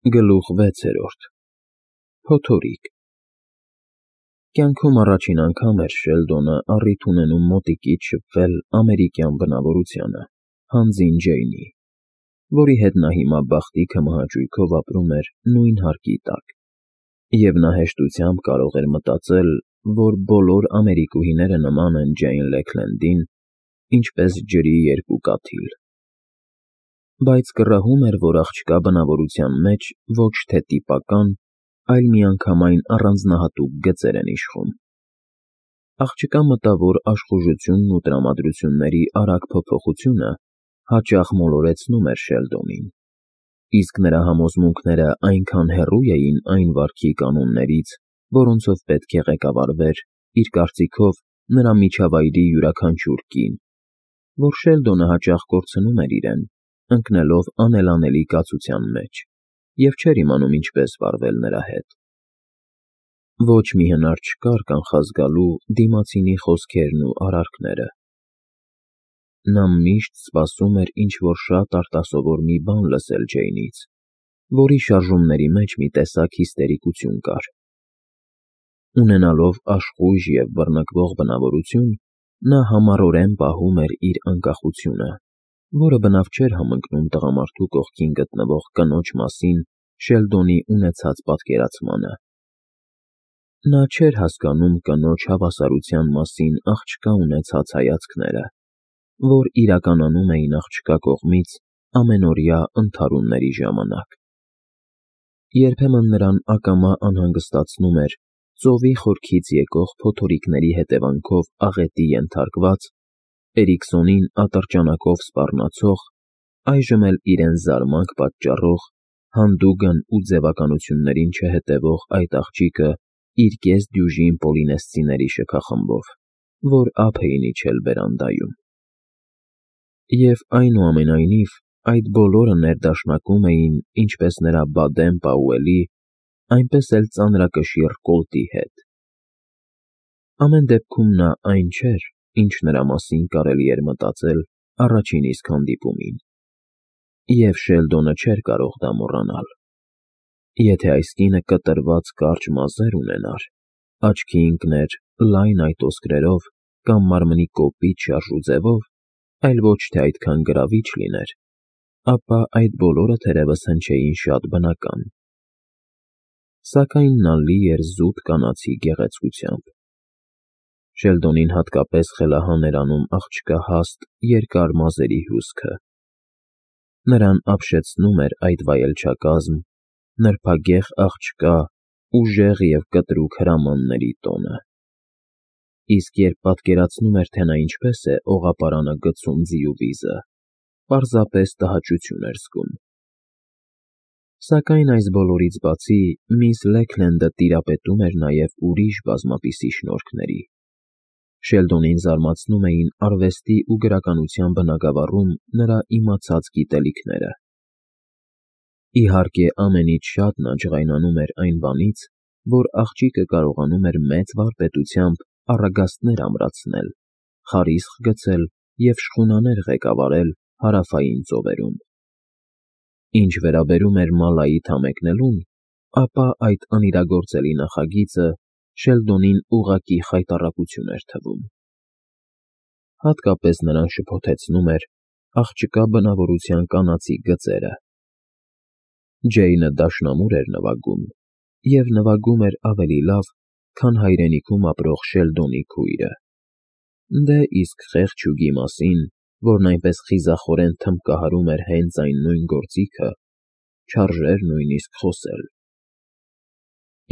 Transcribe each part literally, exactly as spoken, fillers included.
Գլուխ վեցերորդ Փոթորիկ Կյանքում առաջին անգամ էր Շելդոնը առիթ ունենում մոտիկից շփվել ամերիկյան բնավորությանը, հանձին Ջեյնի, որի հետ նա հիմա բախտի քմահաճույքով ապրում էր նույն հարկի տակ, և նա հեշտությամբ կարող էր մտածել, որ բոլոր ամերիկուհիները նման են Ջեյն Լեքլենդին, ինչպես ջրի երկու կաթիլ։ Բայց կռահում էր, որ աղջկա բնավորության մեջ ոչ թե տիպական, այլ միանգամայն առանձնահատուկ գծեր են իշխում։ Աղջկա մտավ, որ աշխուժությունն ու տրամադրությունների արագ փոփոխությունը հաճախ մոլորեցնում էր Շելդոնին, իսկ նրա համոզմունքները այնքան հեռու էին այն վարքի կանոններից, որոնցով պետք է ղեկավարվեր, իր կարծիքով, նրա միջավայրի յուրաքանչյուր կին, որ Շելդոնը հաճախ կորցնում էր իրեն, ընկնելով անելանելի կացության մեջ, և չէր իմանում ինչպես վարվել նրա հետ։ Ոչ մի հնար չկար կանխազգալու դիմացինի խոսքերն ու արարքները։ Նա միշտ սպասում էր ինչ-որ շատ արտասովոր մի բան լսել Ջեյնից, որի շարժումների մեջ մի տեսակ հիստերիկություն կար։ Ունենալով աշխույժ և բռնկվող բնավորություն, նա համառորեն պահում էր իր անկախությունը, որը բնավ չէր համընկնում տղամարդու կողքին գտնվող կնոջ մասին Շելդոնի ունեցած պատկերացմանը։ Նա չէր հասկանում կնոջ հավասարության մասին աղջկա ունեցած հայացքները, որ իրականանում էին աղջկա կողմից ամենօրյա ընդհարումների ժամանակ։ Երբեմն նրան ակամա անհանգստացնում էր ծովի խորքից եկող փոթորիկների հետևանքով աղետի ենթարկված, Էրիքսոնին ատրճանակով սպառնացող, այժմ էլ իրեն զարմանք պատճառող, հանդուգն ու ձևականություններին չհետևող այդ աղջիկը իր կես֊դյուժին պոլինեսցիների շքախմբով, որ ափ էին իջել բերանդայում։ Եվ այնուամենայնիվ, այդ բոլորը ներդաշնակում էին ինչպես նրա Բադեն Պաուելի, այնպես էլ ծանրակշիռ Կոլտի հետ։ Ամեն դեպքում նա այն չէր, ինչ նրա մասին կարելի էր մտածել առաջին իսկ հանդիպումին, և Շելդոնը չէր կարող դա մոռանալ։ Եթե այս կինը կտրված կարճ մազեր ունենար, աչքի ընկներ լայն այտոսկրերով կամ մարմնի կոպիտ շարժու ձևով, այլ ոչ թե այդքան գրավիչ լիներ, ապա այդ բոլորը թերևս հնչեին շատ բնական։ Սակայն նա լի էր զուտ կանացի գեղեցկությամբ։ Շելդոնին հատկապես խելահան էր անում աղջկա հաստ, երկար մազերի հյուսքը։ Նրան ապշեցնում էր այդ վայելչակազմ, նրբագեղ աղջկա, ուժեղ և կտրուկ հրամանների տոնը։ Իսկ երբ պատկերացնում էր, թե նա ինչպես է օղապարանը գցում ձի ու վիզը, պարզապես տհաճություն էր զգում։ Սակայն այս բոլորից բացի, միս Լեքլենդը տիրապետում էր նաև ուրիշ բազմապիսի շնորհքների։ Շելդոնին զարմացնում էին արվեստի ու գրականության բնագավառում նրա իմացած գիտելիքները։ Իհարկե, ամենից շատ նա ջղայնանում էր այն բանից, որ աղջիկը կարողանում էր մեծ վարպետությամբ առագաստներ ամրացնել, խարիսխ գցել և շխունաներ ղեկավարել հարավային ծովերում։ Ինչ վերաբերում էր մալայի թամեկնելուն, ապա այդ անիրագործելի նախագիծը Շելդոնին ուղղակի խայտառակություն էր թվում։ Հատկապես նրան շփոթեցնում էր աղջկա բնավորության կանացի գծերը։ Ջեյնը դաշնամուր էր նվագում, և նվագում էր ավելի լավ, քան հայրենիքում ապրող Շելդոնի քույրը։ Դե իսկ խեղճ հյուկի մասին, որն այնպես խիզախորեն թմբկահարում էր հենց այն նույն գործիքը, չարժեր նույնիսկ խոսել։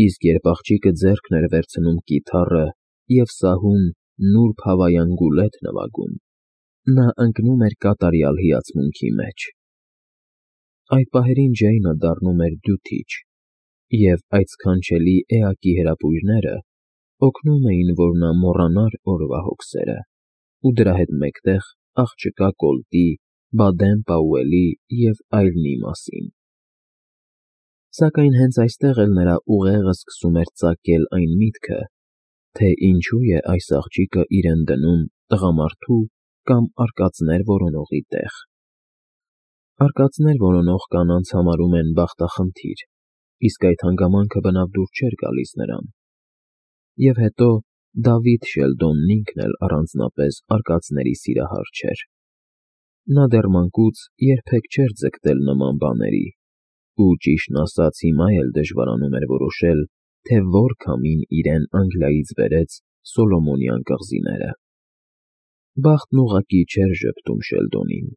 Իսկ երբ աղջիկը ձեռքն էր վերցնում կիթառը և սահուն նուրբ հավայան գուլետ նվագում, նա ընկնում էր կատարյալ հիացմունքի մեջ։ Այդ պահերին Ջեյնը դառնում էր դյութիչ, և այդ սքանչելի էակի հրապույրները օգնում էին, որ նա մոռանար օրվա հոգսերը ու դրա հետ մեկտեղ աղջկա Կոլտի, Բադեն Պաուելի և այլնի մասին։ Սակայն հենց այստեղ էլ նրա ուղեղը սկսում էր ծակել այն միտքը, թե ինչու է այս աղջիկը իրեն դնում տղամարդու կամ արկածներ որոնողի տեղ։ Արկածներ որոնող կանանց համարում են բախտախնդիր, իսկ այդ հանգամանքը բնավ դուր չէր գալիս նրան։ Եվ հետո Դավիթ Շելդոնն ինքն էլ առանձնապես արկածների սիրահար չէր։ Նա դեռ մանկուց երբեք չէր ձգտել նման բաների, ու ճիշտն ասած հիմա էլ դժվարանում էր որոշել, թե որ քամին իրեն Անգլիայից բերեց Սոլոմոնյան կղզիները։ Բախտն ուղղակի չէր ժպտում Շելդոնին։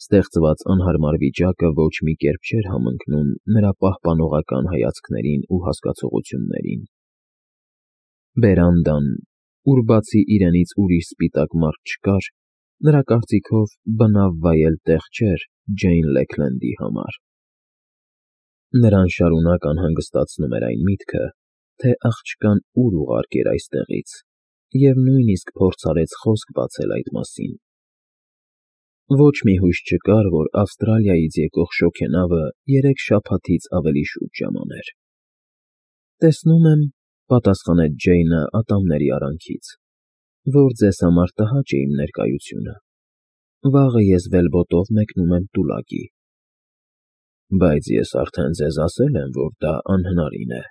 Ստեղծված անհարմար վիճակը ոչ մի կերպ չէր համընկնում նրա պահպանողական հայացքներին ու հասկացողություններին։ Բերանդան, ուր բացի իրենից ուրիշ սպիտակ մարդ չկար, նրա կարծիքով բնավ վայել տեղ չէր Ջեյն Լեքլենդի համար։ Նրան շարունակ անհանգստացնում էր այն միտքը, թե աղջկան ուր ուղարկեր այստեղից, և նույնիսկ փորձ արեց խոսք բացել այդ մասին։ Ոչ մի հույս չկար, որ Ավստրալիայից եկող շոգենավը երեք շաբաթից ավելի շուտ ժամաներ։ Տեսնում եմ, պատասխանեց Ջեյնը ատամների արանքից, որ ձեզ համար տհաճ է իմ ներկայությունը։ Վաղը ես վելբոտով մեկնում եմ Տուլակի։ Բայց ես արդեն ձեզ ասել եմ, որ դա անհնարին է,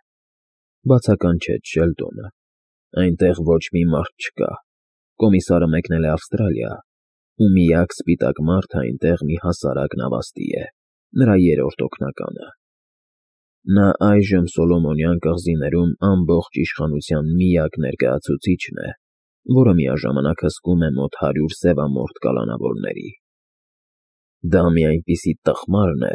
բացականչեց Շելդոնը։ Այնտեղ ոչ մի մարդ չկա։ Կոմիսարը մեկնել է Ավստրալիա, ու միակ սպիտակ մարդը այնտեղ մի հասարակ նավաստի է, նրա երրորդ օգնականը։ Նա այժմ Սոլոմոնյան կղզիներում ամբողջ իշխանության միակ ներկայացուցիչն է, որը միաժամանակ հսկում է մոտ հարյուր սևամորթ կալանավորների։ Դա մի այնպիսի տխմարն է,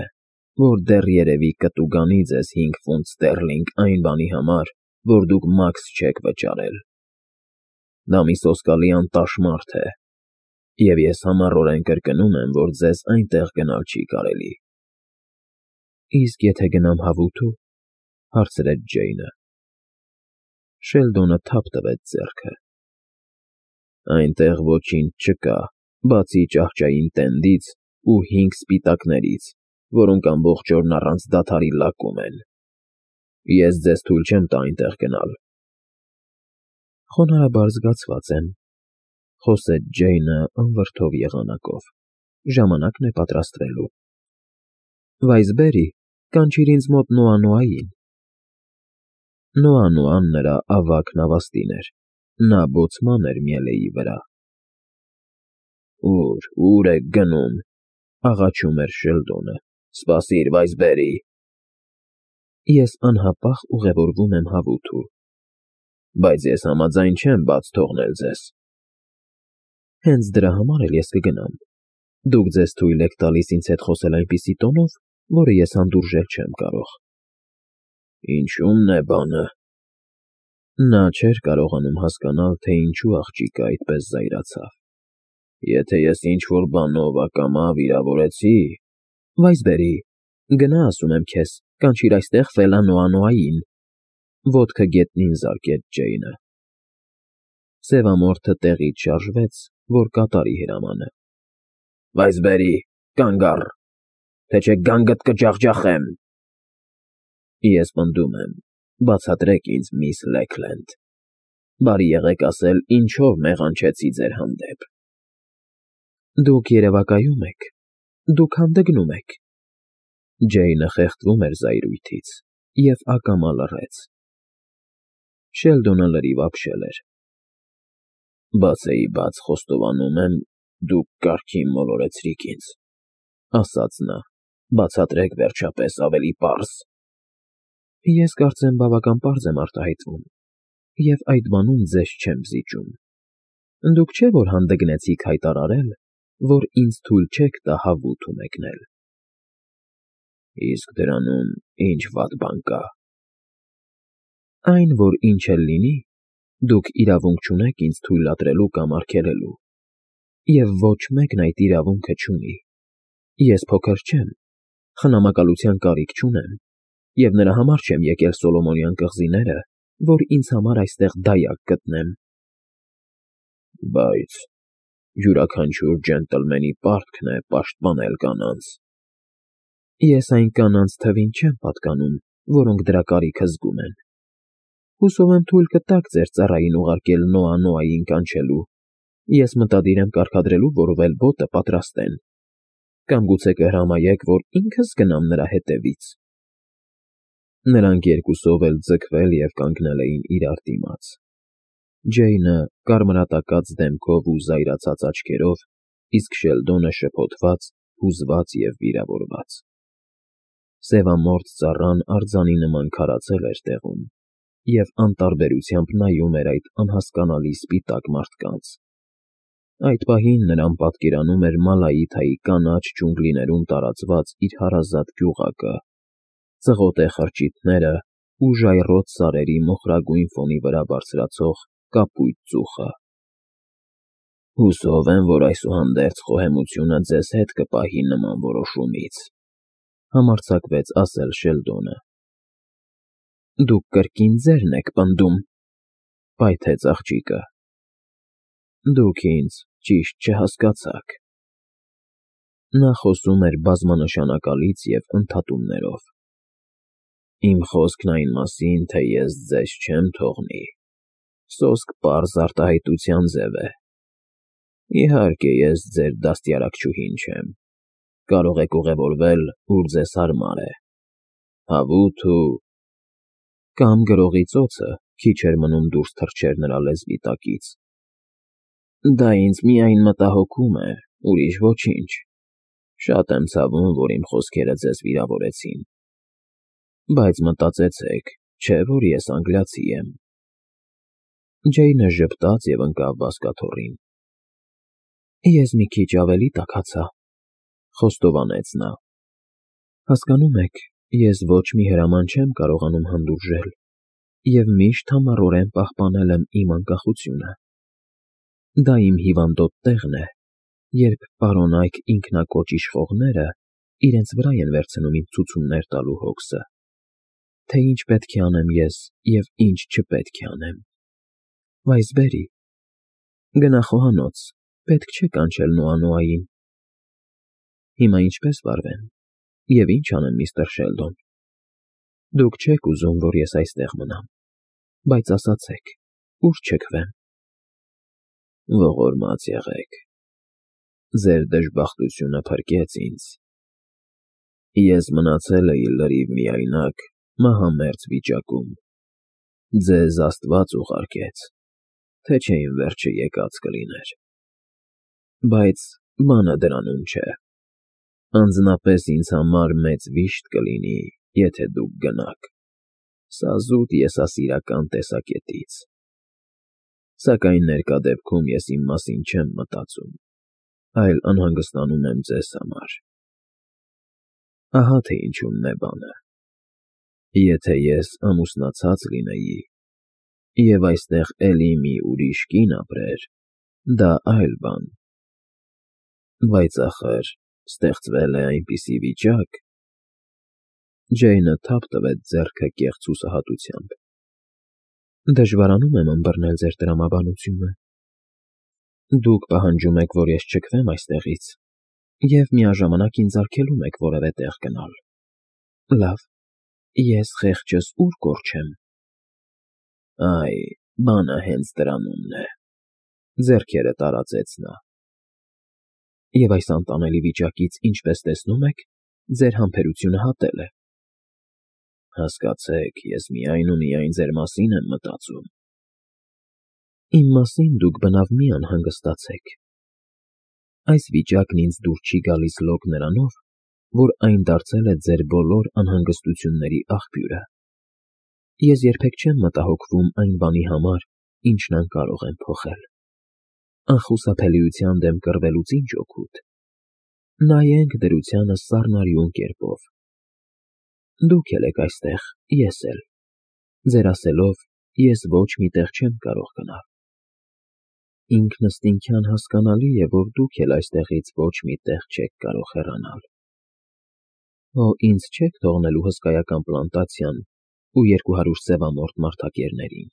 որ դեռ երևի կտուգանի ձեզ հինգ ֆունտ ստերլինգ այն բանի համար, որ դուք մաքս չեք վճարել։ Դա մի սոսկալի անտաշ մարդ է, և ես համառորեն կրկնում եմ, որ ձեզ այնտեղ գնալ չի կարելի։ Իսկ եթե գնամ հավութո՞ւ, հարցրեց Ջեյնը։ Շելդոնը թափ տվեց ձեռքը։ Այնտեղ ոչինչ չկա, բացի ճահճային տենդից ու հինգ սպիտակներից, որոնք ամբողջ օրն առանց դադարի լակում են։ Ես ձեզ թույլ չեմ տա այնտեղ գնալ։ Խոնարհաբար զգացված եմ, խոսեց Ջեյնը անվրդով եղանակով, ժամանակն է պատրաստվելու։ Վայսբերի, կանչիր ինձ մոտ Նոա֊Նոային։ Նոա֊Նոան նրա ավագ նավաստին էր, նա բոցման էր միելեի վրա։ Ո՞ւր, ո՞ւր եք գնում, աղաչում էր Շելդոնը, սպասիր, Վայսբերի։ Ես անհապաղ ուղևորվում եմ հավութո։ Բայց ես համաձայն չեմ բաց թողնել ձեզ։ Հենց դրա համար էլ ես կգնամ։ Դուք ձեզ թույլ եք տալիս ինձ հետ խոսել այնպիսի տոնով, որը ես հանդուրժել չեմ կարող։ Ինչո՞ւմն է բանը։ Նա չէր կարողանում հասկանալ, թե ինչու աղջիկը այդպես զայրացավ։ Եթե ես ինչ-որ բանով ակամա վիրավորեցի… Վայսբերի, գնա, ասում եմ քեզ, կանչիր այստեղ Ֆելա Նոա֊Նոային, ոտքը գետնին զարկեց Ջեյնը։ Սևամորթը տեղից շարժվեց, որ կատարի հրամանը։ Վայսբերի, կանգ առ, թե չէ գանգդ կջախջախեմ։ Ես պնդում եմ, բացատրեք ինձ, միս Լեքլենդ, բարի եղեք ասել, ինչով մեղանչեցի ձեր հանդեպ։ Դուք երևակայում եք, դուք հանդգնում եք։ Ջեյնը խեղդվում էր զայրույթից և ակամա լռեց։ Շելդոնը լրիվ ապշել էր։ Բացեի բաց խոստովանում եմ, դուք կարգին մոլորեցրիք ինձ, ասաց նա, բացատրեք վերջապես ավելի պարզ։ Ես կարծեմ բավական պարզ եմ արտահայտվում, և այդ բանում ձեզ չեմ զիջում։ Դուք չէ՞ որ հանդգնեցիք հայտարարել, որ ինձ թույլ չեք տա հավութո մեկնել։ Իսկ դրանում ի՞նչ վատ բան կա։ Այն, որ ինչ էլ լինի, դուք իրավունք չունեք ինձ թույլատրելու կամ արգելելու, և ոչ մեկն այդ իրավունքը չունի։ Ես փոքր չեմ, խնամակալության կարիք չունեմ, և նրա համար չեմ եկել Սոլոմոնյան կղզիները, որ ինձ համար այստեղ դայակ գտնեմ։ Բայց յուրաքանչյուր ջենտլմենի պարտքն է պաշտպանել կանանց։ Ես այն կանանց թվին չեմ պատկանում, որոնք դրա կարիքը զգում են։ Հուսով եմ թույլ կտաք ձեր ծառային ուղարկել Նոա֊Նոային կանչելու։ Ես մտադիր եմ կարգադրելու, որ վելբոտը պատրաստեն։ Կամ գուցե կհրամայեք, որ ինքս գնամ նրա հետևից։ Նրանք երկուսով էլ ձգվել և կանգնել էին իրար դիմաց. Ջեյնը կարմրատակած դեմքով ու զայրացած աչքերով, իսկ Շելդոնը շփոթված, հուզված և վիրավորված։ Սևամորթ ծառան արձանի նման քարացել էր տեղում և անտարբերությամբ նայում էր այդ անհասկանալի սպիտակ մարդկանց։ Այդ պահին նրան պատկերանում էր Մալայիթայի կանաչ ջունգլիներում տարածված իր հարազատ գյուղակը, ծղոտե խրճիթները ու ժայռոտ սարերի մոխրագույն ֆոնի վրա բարձրացող կապույտ ծուխը։ Հուսով եմ, որ այսուհանդերձ խոհեմությունը ձեզ հետ կպահի նման որոշումից, համարձակվեց ասել Շելդոնը։ Դուք կրկին ձերն եք պնդում, պայթեց աղջիկը։ Դուք ինձ ճիշտ չհասկացաք։ Նա խոսում էր բազմանշանակալից և ընդհատումներով։ Իմ խոսքն այն մասին, թե ես ձեզ չեմ թողնի, սոսկ պարզ արտահայտության ձև է։ Իհարկե, ես ձեր դաստիարակչուհին չեմ, կարող եք ուղևորվել, ուր ձեզ հարմար է, հավութ ու… Կամ գրողի ծոցը քիչ էր մնում դուրս թռչեր նրա լեզվի տակից։ Դա ինձ միայն մտահոգում է, ուրիշ ոչինչ։ Շատ եմ ցավում, որ իմ խոսքերը ձեզ վիրավորեցին։ Բայց մտածեցեք, չէ՞ որ ես անգլիացի եմ։ Ջեյնը ժպտաց և ընկավ բազկաթոռին։ Ես մի քիչ ավելի տաքացա, խոստովանեց նա։ Հասկանում եք, ես ոչ մի հրաման չեմ կարողանում հանդուրժել և միշտ համառորեն պահպանել եմ իմ անկախությունը։ Դա իմ հիվանդոտ տեղն է, երբ պարոնայք ինքնակոչ իշխողները իրենց վրա են վերցնում ինձ ցուցումներ տալու հոգսը, թե ինչ պետք է անեմ ես և ինչ չպետք է անեմ։ Վայսբերի, գնա խոհանոց, պետք չէ կանչել Նոա֊Նոային։ Հիմա ինչպե՞ս վարվեմ, և ի՞նչ անեմ, միստր Շելդոն։ Դուք չեք ուզում, որ ես այստեղ մնամ, բայց ասացեք, ո՞ւր չքվեմ։ Ողորմած եղեք, ձեր դժբախտությունը փրկեց ինձ։ Ես մնացել էի լրիվ միայնակ, մահամերձ վիճակում։ Ձեզ Աստված ուղարկեց, թե չէ իմ վերջը եկած կլիներ։ Բայց բանը դրանում չէ։ Անձնապես ինձ համար մեծ վիշտ կլինի, եթե դուք գնաք, սա զուտ եսասիրական տեսակետից։ Սակայն ներկա դեպքում ես իմ մասին չեմ մտածում, այլ անհանգստանում եմ ձեզ համար։ Ահա թե ինչումն է բանը։ Եթե ես ամուսնացած լինեի, և այստեղ էլի մի ուրիշ կին ապրեր, դա այլ բան։ Բայց ախր ստեղծվել է այնպիսի վիճակ… Ջեյնը թափ տվեց ձեռքը կեղծ հուսահատությամբ։ Դժվարանում եմ ըմբռնել ձեր տրամաբանությունը։ Դուք պահանջում եք, որ ես չքվեմ այստեղից, և միաժամանակ ինձ արգելում եք որևէ տեղ գնալ։ Լավ, ես խեղճս ո՞ւր կորչեմ։ Այ, բանը հենց դրանումն է, ձեռքերը տարածեց նա։ Եվ այս անտանելի վիճակից, ինչպես տեսնում եք, ձեր համբերությունը հատել է։ Հասկացեք, ես միայն ու միայն ձեր մասին եմ մտածում։ Իմ մասին դուք բնավ մի անհանգստացեք։ Այս վիճակն ինձ դուր չի գալիս լոկ նրանով, որ այն դարձել է ձեր բոլոր անհանգստությունների աղբյուրը։ Ես երբեք չեմ մտահոգվում այն բանի համար, ինչն անկարող եմ փոխել։ Անխուսափելիության դեմ կռվելուց ի՞նչ օգուտ։ Նայենք դրությանը սառնարյուն կերպով։ Դուք էլ եք այստեղ, ես էլ։ Ձեր ասելով, ես ոչ մի տեղ չեմ կարող գնալ։ Ինքնըստինքյան հասկանալի է, որ դուք էլ այստեղից ոչ մի տեղ չեք կարող հեռանալ։ Հո ինձ չեք թողնելու հսկայական պլանտացիան ու երկու հարյուր սևամորթ մարդակերներին։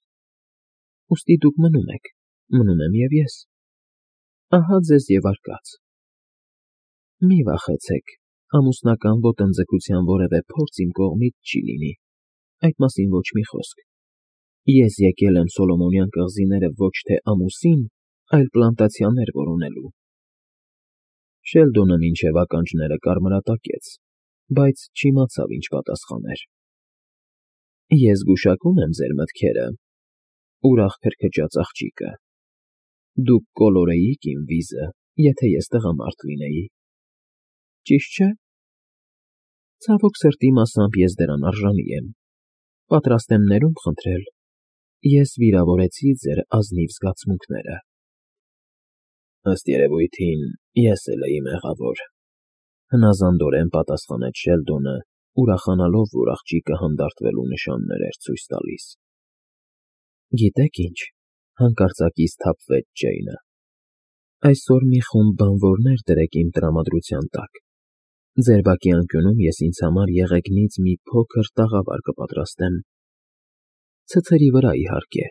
Ուստի դուք մնում եք, մնում եմ և ես։ Ահա ձեզ և արկած։ Մի վախեցեք, ամուսնական ոտնձգության որևէ փորձ իմ կողմից չի լինի, այդ մասին ոչ մի խոսք։ Ես եկել եմ Սոլոմոնյան կղզիները ոչ թե ամուսին, այլ պլանտացիաներ որոնելու։ Շելդոնը մինչև ականջները կարմրատակեց, բայց չիմացավ ինչ պատասխաներ։ Ես գուշակում եմ ձեր մտքերը, ուրախ քրքջաց աղջիկը։ Դուք կոլորեիք իմ վիզը, եթե ես տղամարդ լինեի։ Ճիշտ չէ՞։ Ցավոք սրտի մասամբ ես դրան արժանի եմ, պատրաստ եմ ներումն խնդրել, ես վիրավորեցի ձեր ազնիվ զգացմունքները։ Ըստ երևույթին, ես էլ էի մեղավոր, հնազանդորեն պատասխանեց Շելդոնը, ուրախանալով, որ աղջիկը հանդարտվելու նշաններ էր ցույց տալիս։ Գիտեք ինչ, հանկարծակի սթափվեց Ջեյնը, այսօր մի խումբ բանվորներ դրեք իմ տրամադրության տակ, ձեր բակի անկյունում ես ինձ համար եղեգնից մի փոքր տաղավար կպատրաստեմ, ցցերի վրա իհարկե,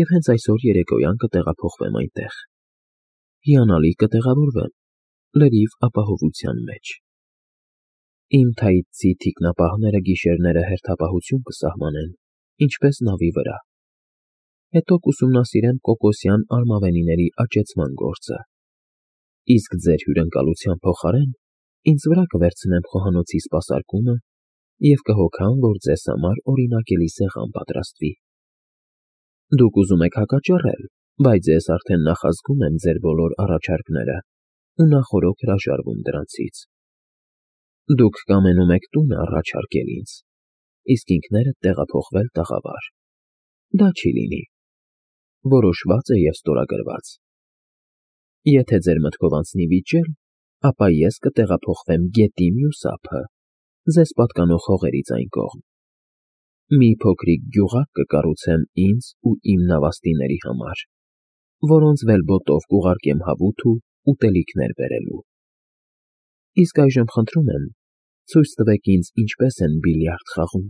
և հենց այսօր երեկոյան կտեղափոխվեմ այնտեղ, հիանալի կտեղավորվեմ, լրիվ ապահովության մեջ։ Իմ թայծի թիկնապահները գիշերները հերթապահություն կսահմանեն, ինչպես նավի վրա, հետո կուսումնասիրեմ կոկոսյան արմավենիների աճեցման գործը, իսկ ձեր հյուրընկալության փոխարեն ինձ վրա կվերցնեմ խոհանոցի սպասարկումը և կհոգամ, որ ձեզ համար օրինակելի սեղան պատրաստվի։ Դուք ուզում եք հակաճառել, բայց ես արդեն նախազգում եմ ձեր բոլոր առաջարկները ու նախօրոք հրաժարվում դրանցից։ Դուք կամենում եք տունը առաջարկել ինձ, իսկ ինքներդ տեղափոխվել տաղավար։ Դա չի լինի։ Որոշված է և ստորագրված։ Եթե ձեր մտքով անցնի վիճել, ապա ես կտեղափոխվեմ գետի մյուս ափը, ձեզ պատկանող հողերից այն կողմ։ Մի փոքրիկ գյուղակ կկառուցեմ ինձ ու իմ նավաստիների համար, որոնց վելբոտով կուղարկեմ հավութ ու ուտելիքներ բերելու։ Իսկ այժմ խնդրում եմ, ցույց տվեք ինձ ինչպես են բիլիարդ խաղում։